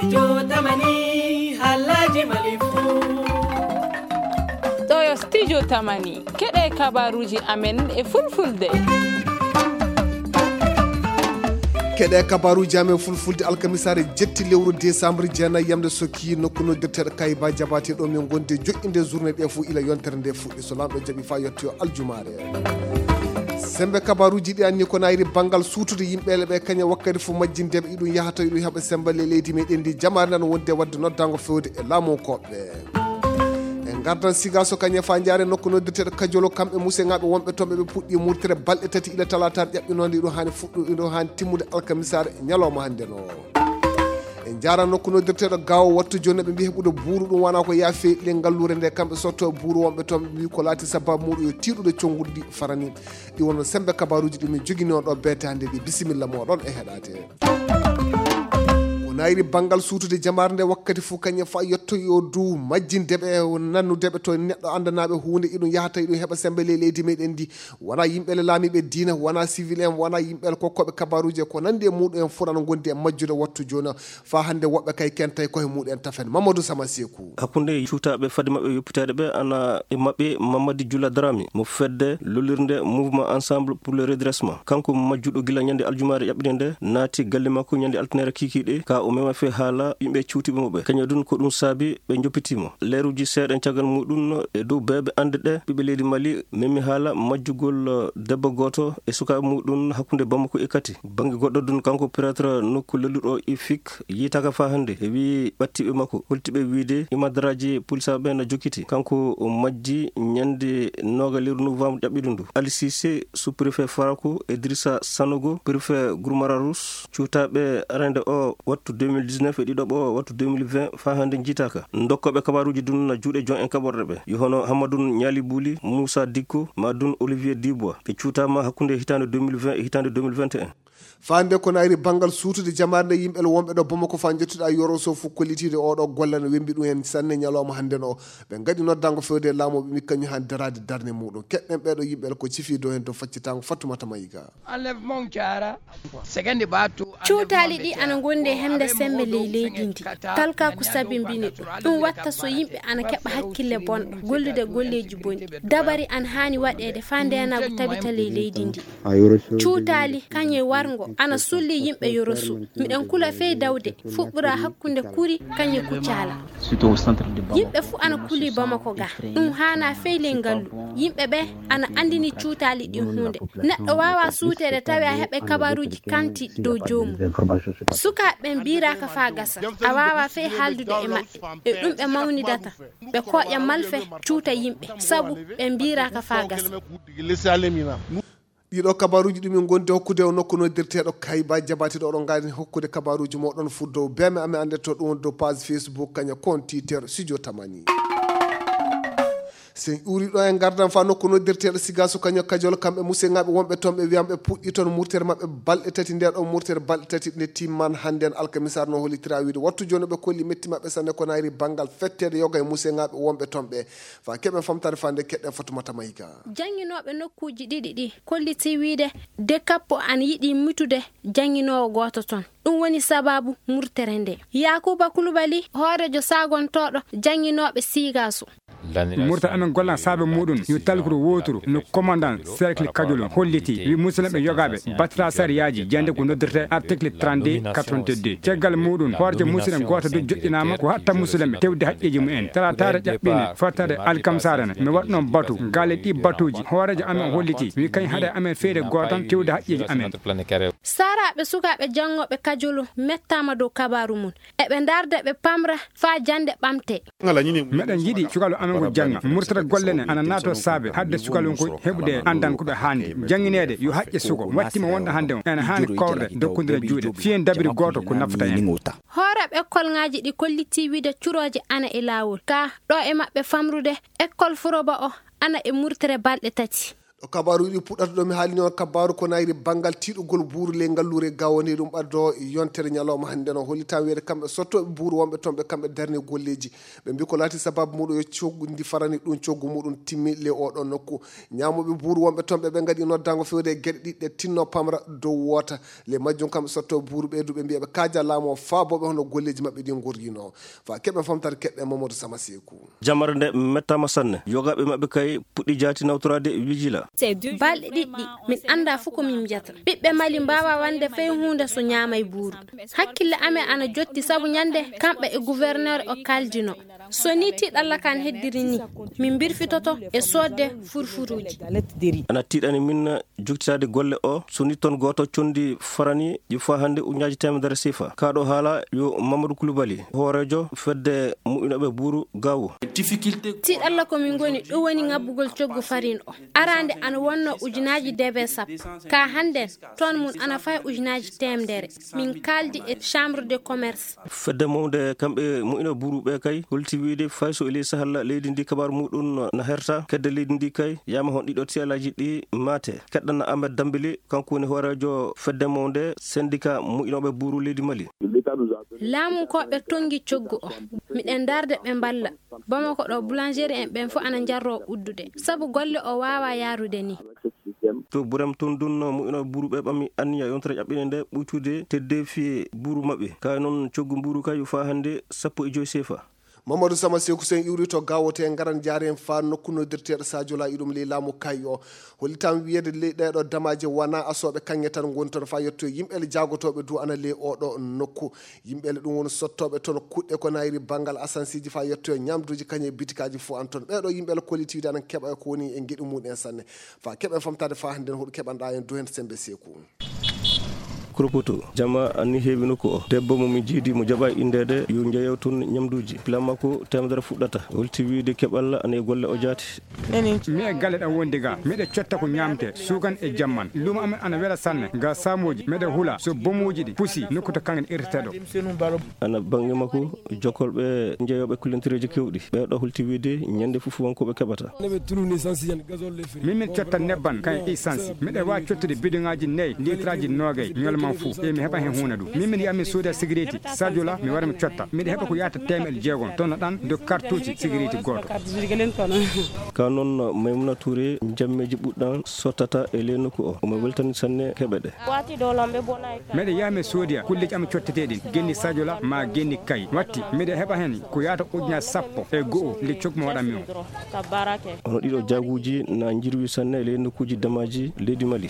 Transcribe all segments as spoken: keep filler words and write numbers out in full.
Studio Tamani, halaji malifu. Ɗo yo Studio Tamani, keɗe kabaruji amen e fulfulde. Keɗe kabaruji amen fulfulde alkamisaare jetti lewru décembre jeenayi yamde sokki nokku noddirteɗo Kayba Jabaate ɗo min gondi joƴƴinde journée ɗe fof ila yontere nde fuɗɗi so lamɗo jaɓi fa yettoyo aljumaare. Sembe kabaruji ɗi anni ko nayri bangal suutude yimɓe le ɓe kaña wakkati fof majjindeɓe iɗum yahata iɗum heɓa sembe le leydi meɗen ndi jamaare nan wonde wadde noddango fewde e laamu koɓɓe. En gardan siga so kañe fa jaare nokku noddirteɗo Kajolo kamɓe museŋaɓe wonɓe toon ɓe ɓe puɗɗi murtere balɗe tati ila talatar ƴaɓɓinonde iɗum hani fuɗɗu iɗum hani timmude alkamisaare ñalawma hannde no. En jaara nokku noddirteɗo gawo wattu joni ɓe mbi heɓude buuru ɗum wona ko yaafe le ngalluure nde kamɓe sotto buuru wonɓe toon ɓe mbi ko laati sababu muɗum yo tiiɗude connguɗi ɗi farani. Ɗi wonno sembe kabaruji ɗi min jogino ɗo betande ɗi bisimilla moɗon e heɗate. Ko nayri bangal suutude jamaare nde wakkati fof kañum fa yetto yo du majjindeɓe nannudeɓe to neɗɗo andanaɓe hunde iɗum yahata iɗum heɓa sembe le leydi meɗen ndi. Wona yimɓe le laamiɓe diina wona civil en wona yimɓe le kokkoɓe kabaruji e ko nandi e muɗum en fof nana gondi e majjude wattu joni. Fa hannde woɓɓe kay kentay koye muɗen tafen Mamadou Sama Seku. Hakkunde cuutaaɓe fade maɓɓe yoppiteede ɓe ana e maɓɓe Mamadi Jula Darami mo fedde lollirnde Mouvement Ensemble pour le Redressement. Kanko majjuɗo gila ñande aljumaare ƴaɓɓinde nde naati galle makko ñande altinere kikiiɗe ka o mema fe haala yimɓe cuutiiɓe mo ɓe. Kañum dun ko ɗum saabi ɓe njoppitiimo. Leeruji seeɗa caggal muɗum e dow beeɓe ande ɗe ɓiɓɓe leydi Mali memi haala majjugol debbo gooto e sukaaɓe muɗum hakkunde Bamako e Kati. Bannge goɗɗo dun kanko prêtre nokku lelluɗo Ifik yiitaka fa hannde e wii ɓattiɓe makko holtiɓe wiide imadraji pulisaaɓe ɓe na jokkiti. Kanko o majji ñande nooga lewru novembre ƴaɓɓiɗo ndu. Ali Cissé sous-préfet Farako, Idrissa Sanogo préfet Gourmararous cuutaaɓe arande o wattu deux mille dix-neuf e ɗiɗaɓo o wattu deux mille vingt fa hannde jiitaka. Ndokkoɓe kabaruji dun na juuɗe jon en kaɓorɗe ɓe yo hono Hammadun Ñaali Buuli, Moussa Dikko ma dun Olivier Dubois ɓe cuutama hakkunde hitande deux mille vingt e hitande deux mille vingt et un. Faande ko nayri banngal suutude jamaare nde yimɓe wonɓe ɗo Bamako fa jottuɗa yoro so fof kollitiide oɗo golle no wembi ɗum en sanne ñalawma hannde no ɓe ngaɗi noddango fewde e laamu ɓe mi kañum han daraade darne muɗum keɗɗen ɓeɗo yimɓe ko cifi dow hen to faccitango Fattumata Mayiga. Cuutaali ɗi ana ngondi e hemde sembe ley leydi ndi. Talka ko sabi mbini ɗum ɗum watta so yimɓe ana keɓa hakkille bonɗo gollude golleeji bonɗi. Dabari ana haani waɗeede faa ndeenaagu tabita ley leydi ndi. Cuutaali kañe warngo ana sulli yimɓe yorosu. Miɗen kula fey dawde fuɓɓura hakkunde kuri kañe kuccaala. Yimɓe fuu ana kuli bamako ga. Ɗum haana fey ley ngallu. Yimɓe ɓe ana anndini cuutaali ɗin huunde. Neɗɗo waawa suuteede tawi a heɓe kabaruuji kanti dow joomum. Sukaaɓe ɓen mbiiraaka faa gasa. A waawa fey haaldude e maɓɓe. E ɗum ɓe mawnidata. Ɓe kooƴa malfe cuuta yimɓe sabu ɓe mbiiraaka faa gasa. Ɗiɗo kabaruuji ɗum en gondi hokkude o nokku noddirteeɗo Kayba Jabati ɗo oɗon ngaari hokkude kabaruuji moɗon fuddo beme amen annde to ɗum dow page Facebook kaña compte Twitter Studio Tamani. Sen uri ɗo en gardan fa nokku noddirteeɗo Sigaso kaña Kajol kamɓe museŋaaɓe wonɓe toon ɓe wiyam ɓe puɗɗi toon murtere maɓɓe balɗe tati nde ɗon murtere balɗe tati nde timman hannde en alkamisaar no hollitira wiide wattu jooni ɓe kolli metti maɓɓe sanne ko nayri banngal fetteede yoga e museŋaaɓe wonɓe toon ɓe fa keɓen famtaade fa nde keɗɗen Fatumata Mayga. Jannginooɓe nokkuuji ɗiɗi ɗi kolliti wiide de kappo ana yiɗi mutude jannginoowo gooto toon. Ɗum woni sababu murtere nde. Yaakuuba Kulubali hooreejo saagontooɗo jannginooɓe Sigaso. Murta amen golla saabe muɗum yo talkuru woturu no commandant cercle kajolum holliti wi musidɓe yogaɓe battata sariyaaji jeyande ko noddirte article trente-deux quatre-vingt-deux caggal muɗum hoorjo musidɗo goto du joɗɗinama ko hatta musidɓe tewde haqqeji mumen talatare ƴaɓɓini fottade alkamsare ne mi waɗ noon batu ngale ɗi batuji hoorejo amen holliti wi kañ haɗa amen feere gotan tewde haqqeji amen. Saraɓe sukaɓe janngoɓe kajolum mettama dow kabaru mum. Eɓe ndarda ɓe pamra faa jannde ɓamte. Meɗen yiɗi cukalel amen ngol jannga murtata golle ne ana naato saabe hadde cukalel ngol heɓude anndal ko ɓe haandi janngineede yo haqqe suko wattima wonɗo hannde on ene haani kowrde dokkondira juuɗe fiyen dabiri gooto ko nafata en. Hooreeɓe ekkolŋaaji ɗi kollitii wiide curooje ana e laawol ka ɗo e maɓɓe famrude ekkol furoba o ana e murtere balɗe tati. Ko kabaaruuji ɗi puɗɗata ɗo mi haalni on kabaaru ko nayri banngal tiiɗugol buuru ley ngalluure Gaawo ni ɗum ɓaddo yontere ñalawma hannde no hollitaa wiyeede kamɓe sottooɓe buuru wonɓe toon ɓe kamɓe darni golleeji. Ɓe mbi ko laati sababu muɗum yo coggu ndi farani ɗum coggu muɗum timmi ley oɗo nokku. Ñaamooɓe buuru wonɓe toon ɓe ɓe ngaɗi noddaango fewde e geɗe ɗiɗi ɗe tinno pamra dow woota. Ley majjum kamɓe sottooɓe buuru ɓeydu ɓe mbiya ɓe kaaja laamu o faabooɓe hono golleeji maɓɓe ɗi ngorrino. Fa keɓen famtare keɓɓe Mamadou Sama Seeku. Jamare nde mettaama sanne. Yogaaɓe maɓɓe kay puɗɗi jaati nawtoraade Wigila. Balɗe ɗiɗɗi, min anndaa fof ko min mbiyata. Ɓiɓɓe Mali mbaawaa wonde fay huunde so ñaamay buuru. Hakkille amen ana jotti sabu ñande kamɓe e gouverneur o kaaldino. So ni tiiɗalla kan heddiri ni, min mbirfitoto e soodde furfuruuji. Ana tiiɗani min joktitaade golle o, so ni toon gooto conndi farani ɗi faa hannde ujunnaaji teemedere sifa. Kaa ɗo haala yo Mamadou Koulibaly, hooreejo fedde mu'inooɓe buuru Gaawo. Tiiɗalla ko min ngoni, ɗum woni ŋabbugol coggu farine o. Araande ana wonno ujunnaaji debe sappo. Ka hannden, toon mun ana faya ujunnaaji teemedere. Min kaaldi e chambre de commerce. Fedde mawnde kamɓe mu'inooɓe buuru ɓe kay, holti wiide fay so e ley sahalla leydi ndi kabaaru muɗum na herta, kedde leydi ndi kay, yaama hon ɗiɗo tiyalaaji ɗi maate. Keɗɗana Ahmed Dambili, kanko woni hooreejo fedde mawnde sendika mu'inooɓe buuru leydi Mali. Laamunkooɓe tonngi coggu o. Miɗen darde ɓe mballa. Bamako ɗo boulangerie en ɓen fof ana njarroo uddude. Sabu golle o waawaa yaarude ni. To Burem toon dunno mu'inooɓe buuru ɓe ɓami anniya yontere ƴaɓɓinde nde ɓuytude teddeefi buuru maɓɓe. Kaye noon coggu mbuuru kay yo faa hannde sappo e joy sefa. Mamadou Sama Seeku, so en iwri to Gaawo, te en ngaran njaaren faa nokku noddirteeɗo Sadio Laye ɗum ley laamu kay o. Hollitam wiyeede ley ɗeeɗo damaaji wonaa asooɓe kaŋŋe tan ngoni toon faa yetto yimɓe le jaagotooɓe du ana ley oɗo nokku. Yimɓe le ɗum woni sottooɓe toon kuɗɗe ko nayri banngal asansiiji faa yetto ñamduuji kañe bitikaaji fof an toon. Ɓeeɗo yimɓe le kollitiiɗe ana keɓa ko woni e ngeɗu mum en sanne. Faa keɓen famtaade faa hannden hoɗu keɓanɗaa en du heen Sembe Seeku. Koropoto, jama anni heewi nokku o. Debbo mo min jiidi mo jaɓa inndeede yo njeyow toon ñamduuji. Pila makko teemedere fuɗɗata. Holti wiide keɓal ana e golle o jaati. Mi e galle ɗam wondi ga. Miɗa cotta ko ñamte, suukan e jamman. Luumo amen ana wela sanne. Ga saamooji, miɗa hula. So bomuuji ɗi pusi, nokku to kangen irtete ɗo. Ana bannge makko, jokkolɓe njeyoɓe kullantireeji kewɗi. Ɓeeɗo holti wiide ñande fof wonko ɓe keɓata. Min min cotta nebban kan e essence. Miɗa waawi cottude bidoŋaaji nayi, litraaji noogay, ñalawma fuu. E mi heɓa hen huunde du. Min min yaha mi sooda sigareeti, Sadio La, mi wara mi cotta. Miɗa heɓa ko yaata teemeɗe jeegom. Toon no ɗan do kartuuji sigareeti gooto. Ka noon Maymuna Touré, jammeeji ɓuɗɗan sottata e ley nokku o. Omo weltani sanne keɓe ɗe. Miɗa yaha mi soodoya kulleeji am cotteteeɗi, genni Sadio La maa genni kay. Watti, miɗa heɓa heen ko yaata ujunaaji sappo e go'o le coggu mo waɗanmi o. Hono ɗiɗo jaaguuji na njirwi sanne e ley nokkuuji damaaji leydi Mali.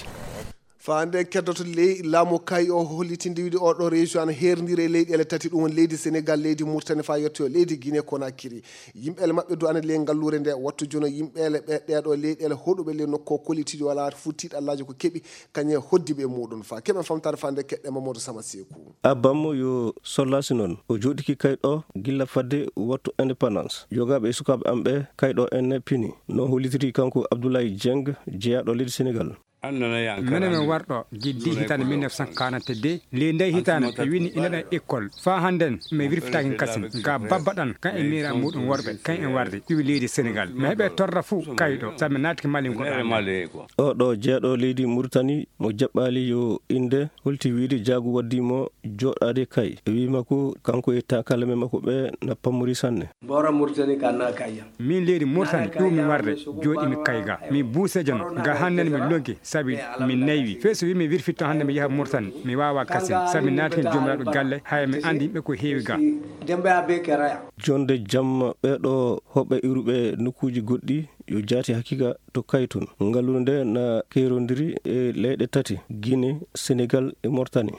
Faa nde keddoto ley laamu kay o hollitinde wiide oɗo région ana heerndiri e leyɗeele tati, ɗum woni leydi Sénégal, leydi Mauritanie faa yettoyo leydi Guinée Conakry. Yimɓeele maɓɓe du ana ley ngalluure nde. Wattu jono yimɓeele ɓe ɗeeɗo leyɗeele hoɗuɓe ley nokku o kollitiiɗo alaa fuu tiiɗallaaji ko keɓi kañe hoddiiɓe e muɗum. Faa keɓen famtaade faa nde keɗɗe Mamadou Sama Seeku. Abam yo sollaasi noon. O jooɗiki kay ɗo gilla fadde wattu indépendance. Yogaaɓe e sukaaɓe am ɓe kay ɗo en pini. No hollitiri kanko Abdoulaye Dieng, jeyaaɗo leydi Sénégal. Minen min warɗo giddi hitaande mille neuf cent quarante-deux, ley ndey hitaande mi wini ina ɗan école. Faa hannden mi wirfitaaki kasin. Ga babba ɗan kan e miira muɗum worɓe, kan en warde iwi leydi Sénégal. Mi heɓe torra fuu kayɗo, sabu mi naatiki Mali ko ɗan. Oɗo jeyaaɗo leydi Mauritanie mo jaɓɓaali yo innde holti wiide jaagu waddi mo jooɗaade kay. Wiima ko kanko e taakalaɓe makko ɓe na pammori sanne. Bora Mauritanie ka na kayya. Min leydi Mauritanie ɗum mi warde jooɗi mi kay ga. Mi buuse jono ga hannden mi lonki sabi mi naywi. Fee so wi mi wirfitto hannde mi yaha Mauritanie mi waawa kasin sabi mi naati heen joomiraaɗo galle haya mi anndi yimɓe ko heewi ga. Dembe a be keraya. Jonde jam ɓeeɗo hoɓɓe iwruɓe nokkuuji goɗɗi yo jaati hakiika to kaytun. Ngalluure nde na keerondiri e leyɗe tati, Guinée, Sénégal e Mauritanie.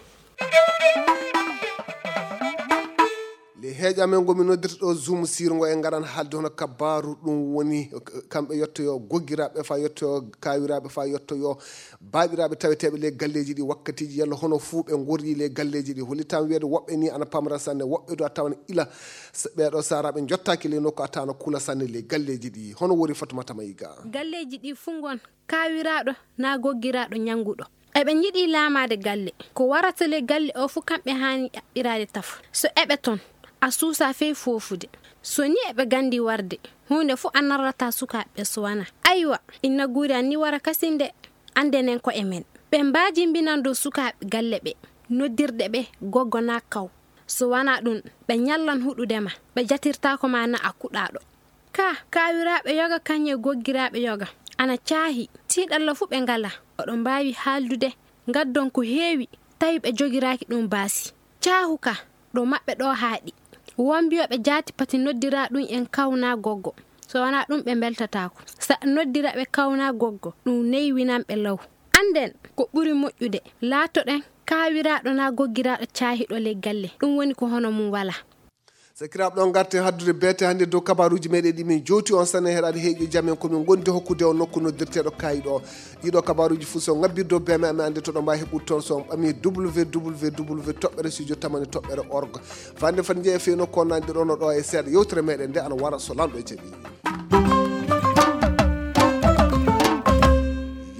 Le heeƴa men ngo mi noddirta ɗo Zoom sirngo e ngaran haalde hono kabaaru ɗum woni kamɓe yettoyo goggiraaɓe fa yettoyo kaawiraaɓe fa yettoyo baaɓiraaɓe taweteeɓe le galleeji ɗi wakkatiiji yalla hono fuu ɓe ngorri le galleeji ɗi hollitam wiyeede woɓɓe ni ana pamra sanne woɓɓe do a tawan ila ɓeeɗo saaraaɓe njottaaki le nokku a tawano kula sanne le galleeji ɗi hono wori Fatoumata Maïga. Galleeji ɗi fuu ngon kaawiraaɗo na goggiraaɗo ñannguɗo. Eɓe njiɗi laamaade galle. Ko warata le galle o fof kamɓe haani ɗaɓɓiraade tafo. So eɓe toon, a suusaa fey foofude. So ni eɓe nganndi warde, huunde fof a narrataa sukaaɓe ɓe so wanaa. Aywa, inna guuri an ni wara kasin de, anndenen koye men. Ɓe mbaajimbinan dow sukaaɓe galle ɓe, noddirɗe ɓe goggo naa kaw. So wanaa ɗum, ɓe ñallan huɗude ma, ɓe jatirtaako ma na a kuɗaaɗo. Ka, kaawiraaɓe yoga kañum e goggiraaɓe yoga, ana caahi, tiiɗalla fuu ɓe ngalaa. Oɗon mbaawi haaldude, ngaddon ko heewi, tawi ɓe jogiraaki ɗum baasi. Caahu ka, ɗo maɓɓe ɗo haaɗi. Won mbiyooɓe jaati pati noddiraa ɗum en kaw naa goggo. So wanaa ɗum ɓe mbeltataako. Sa noddira ɓe kaw naa goggo, ɗum neywinan ɓe law. Annden ko ɓuri moƴƴude, laatoɗen kaawiraaɗo naa goggiraaɗo caahiiɗo ley galle. Ɗum woni ko hono mum walaa. Sakiraaɓe, ɗo ngarten haddude beete hannde dow kabaaruuji meɗen ɗi min jowti on. Sane heɗaade heeƴo jam en ko min ngondi hokkude on nokku noddirteeɗo kaayiɗo o. Ɗiɗo kabaaruuji fof so ngabbirde dow B M A, mi annde to ɗo mbaawi heɓude toon so on ɓami W W W toɓɓere studio tamani toɓɓere org. Fande fande jeeya feewno ko nanndi ɗo no ɗo e seeɗa. Yewtere meɗen nde ana wara so lanɗo jaɓi.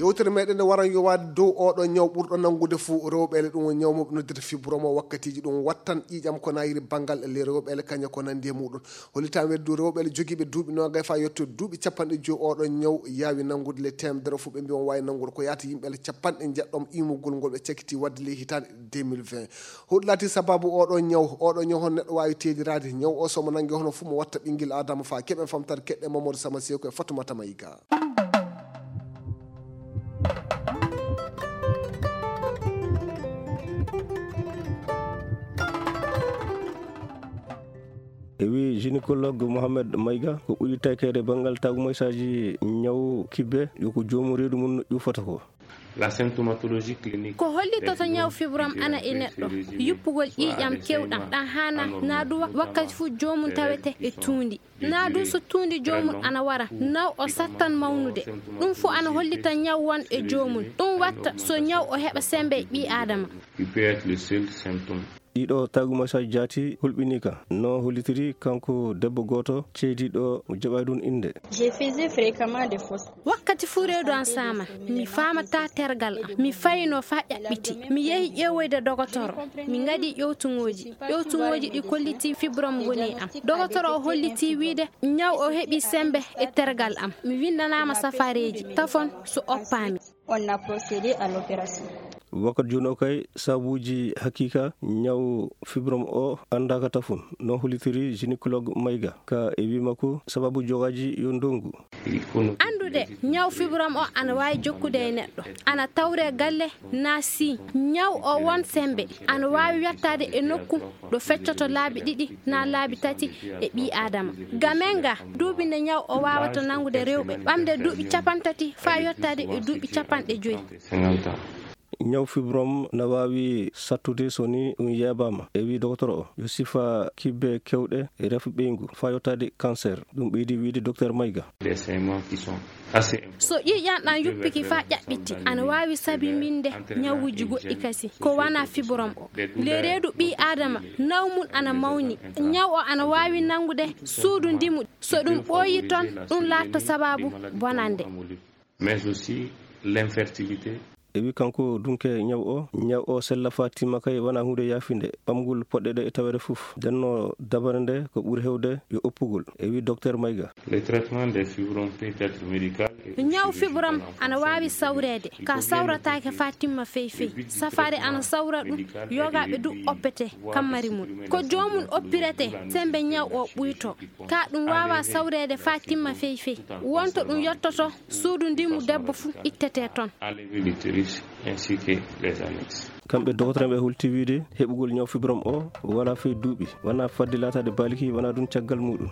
Yewtere meɗen nde waran yowaade dow oɗo ñaw ɓurɗo nanngude fuu rewɓe le, ɗum woni ñaw mo ɓe noddirta fibrome o. Wakkatiiji ɗum wattan ƴiiƴam ko nayiri banngal le rewɓe le kaña ko nanndi e muɗum. Hollitan weddu rewɓe le jogiiɓe duuɓi noogay faa yetto duuɓi capanɗe joyi oɗo ñaw yaawi nanngude le teemedere fuu. Ɓe mbi on waawi nanngude ko yaata yimɓe le capanɗe njeɗɗo imugol ngol ɓe cakiti wadde ley hitaande deux mille vingt. Hoɗum laati sababu oɗo ñaw? Oɗo ñaw hono neɗɗo waawi teediraade? Ñaw o so mo nanngi hono fuu mo watta ɓinngel Aadama faa keɓen famtare keɗɗe Mamadou Sama Seeku e Fatoumata Maïga. E wi gynécologue Mohamed Maïga ko ɓuri takeede banngal tagumoysaaji ñaw kibbe yo ko joomum reedu mum no ƴuufata ko. La symptomatologie clinique. Ko hollitoto ñaw fibrome ana e neɗɗo, yuppugol ƴiiƴam kewɗam ɗan haana naa du wakkati fuu joomum tawete e tuundi. Naa du so tuundi joomum ana wara, naw o sattan mawnude. Ɗum fuu ana hollita ñaw won e joomum. Ɗum watta so ñaw o heɓa sembe e ɓii aadama. Il peut être le seul symptôme. Ɗiɗo tagumasaaji jaati hulɓiniika no hollitiri kanko debbo gooto ceydiiɗo mo jaɓaay ɗum innde. Je faisais fréquemment des fausses. Wakkati fuu reedu an saaman, mi faamataa tergal am. Mi fayno faa ƴaɓɓiti. Mi yehi ƴeewoyde dogotoro. Mi ngaɗi ƴewtuŋooji. Ƴewtuŋooji ɗi kollitii fibrome woni e am. Dogotoro o hollitii wiide ñaw o heɓii sembe e tergal am. Mi winndanaama safareeji. Tafon so oppaami. On a procédé à l'opération. Wakkati jooni o kay, sabuuji hakiika ñaw fibrome o anndaaka tafon, no hollitiri gynécologue Maïga. Ka e wii makko, sababu jogaaji yo ndongu. Anndude ñaw fibrome o ana waawi jokkude e neɗɗo, ana tawree galle naa sii. Ñaw o won sembe, ana waawi yottaade e nokku ɗo feccoto laabi ɗiɗi naa laabi tati e ɓii aadama. Ga men ga, duuɓi nde ñaw o waawata nanngude rewɓe, ɓamde duuɓi capantati faa yottaade e duuɓi capanɗe joyi. Ñaw fibrome na waawi sattude so ni ɗum yeebaama, e wii dogotoro o, yo sifa kibbe kewɗe e rafi ɓeyngu faa yottaade cancer. Ɗum ɓeydi wiide Docteur Maïga. Des saignements qui sont assez importants. So ƴiiƴan ɗan yuppike faa ƴaɓɓiti, ana waawi sabinbinde ñawuuji goɗɗi kasi ko wanaa fibrome o. Le reedu ɓii aadama, naw mum ana mawni. Ñaw o ana waawi nanngude suudu ndimu. So ɗum ɓooyii ton, ɗum laatoto sababu bonannde. Mais aussi l'infertilité. E wi kanko dunke ñaw o, ñaw o sella faa timma kay wanaa huunde yaafinde, ɓamgol poɗɗe ɗe e taweede fof. Nden no dabare nde ko ɓuri heewde yo oppugol, e wi Docteur Maïga. Le traitement des fibromes peut être médical et aussi chirurgical. Ñaw fibrome ana waawi sawreede, ka sawrataake faa timma fey fey. Safaare ana sawra ɗum, yogaaɓe du oppete kammari mum. Ko joomum oppirete sembe ñaw o ɓuyto. Ka ɗum waawaa sawreede faa timma fey fey. Wonto ɗum yottoto suudu ndimu debbo fuu ittete ton. Enlever l'utérus ainsi que les annexes. Kamɓe dogotoro ɓe holti wiide heɓugol ñaw fibrome o walaa fey duuɓi, wanaa fadde laataade baaliki, wanaa ɗum caggal muɗum.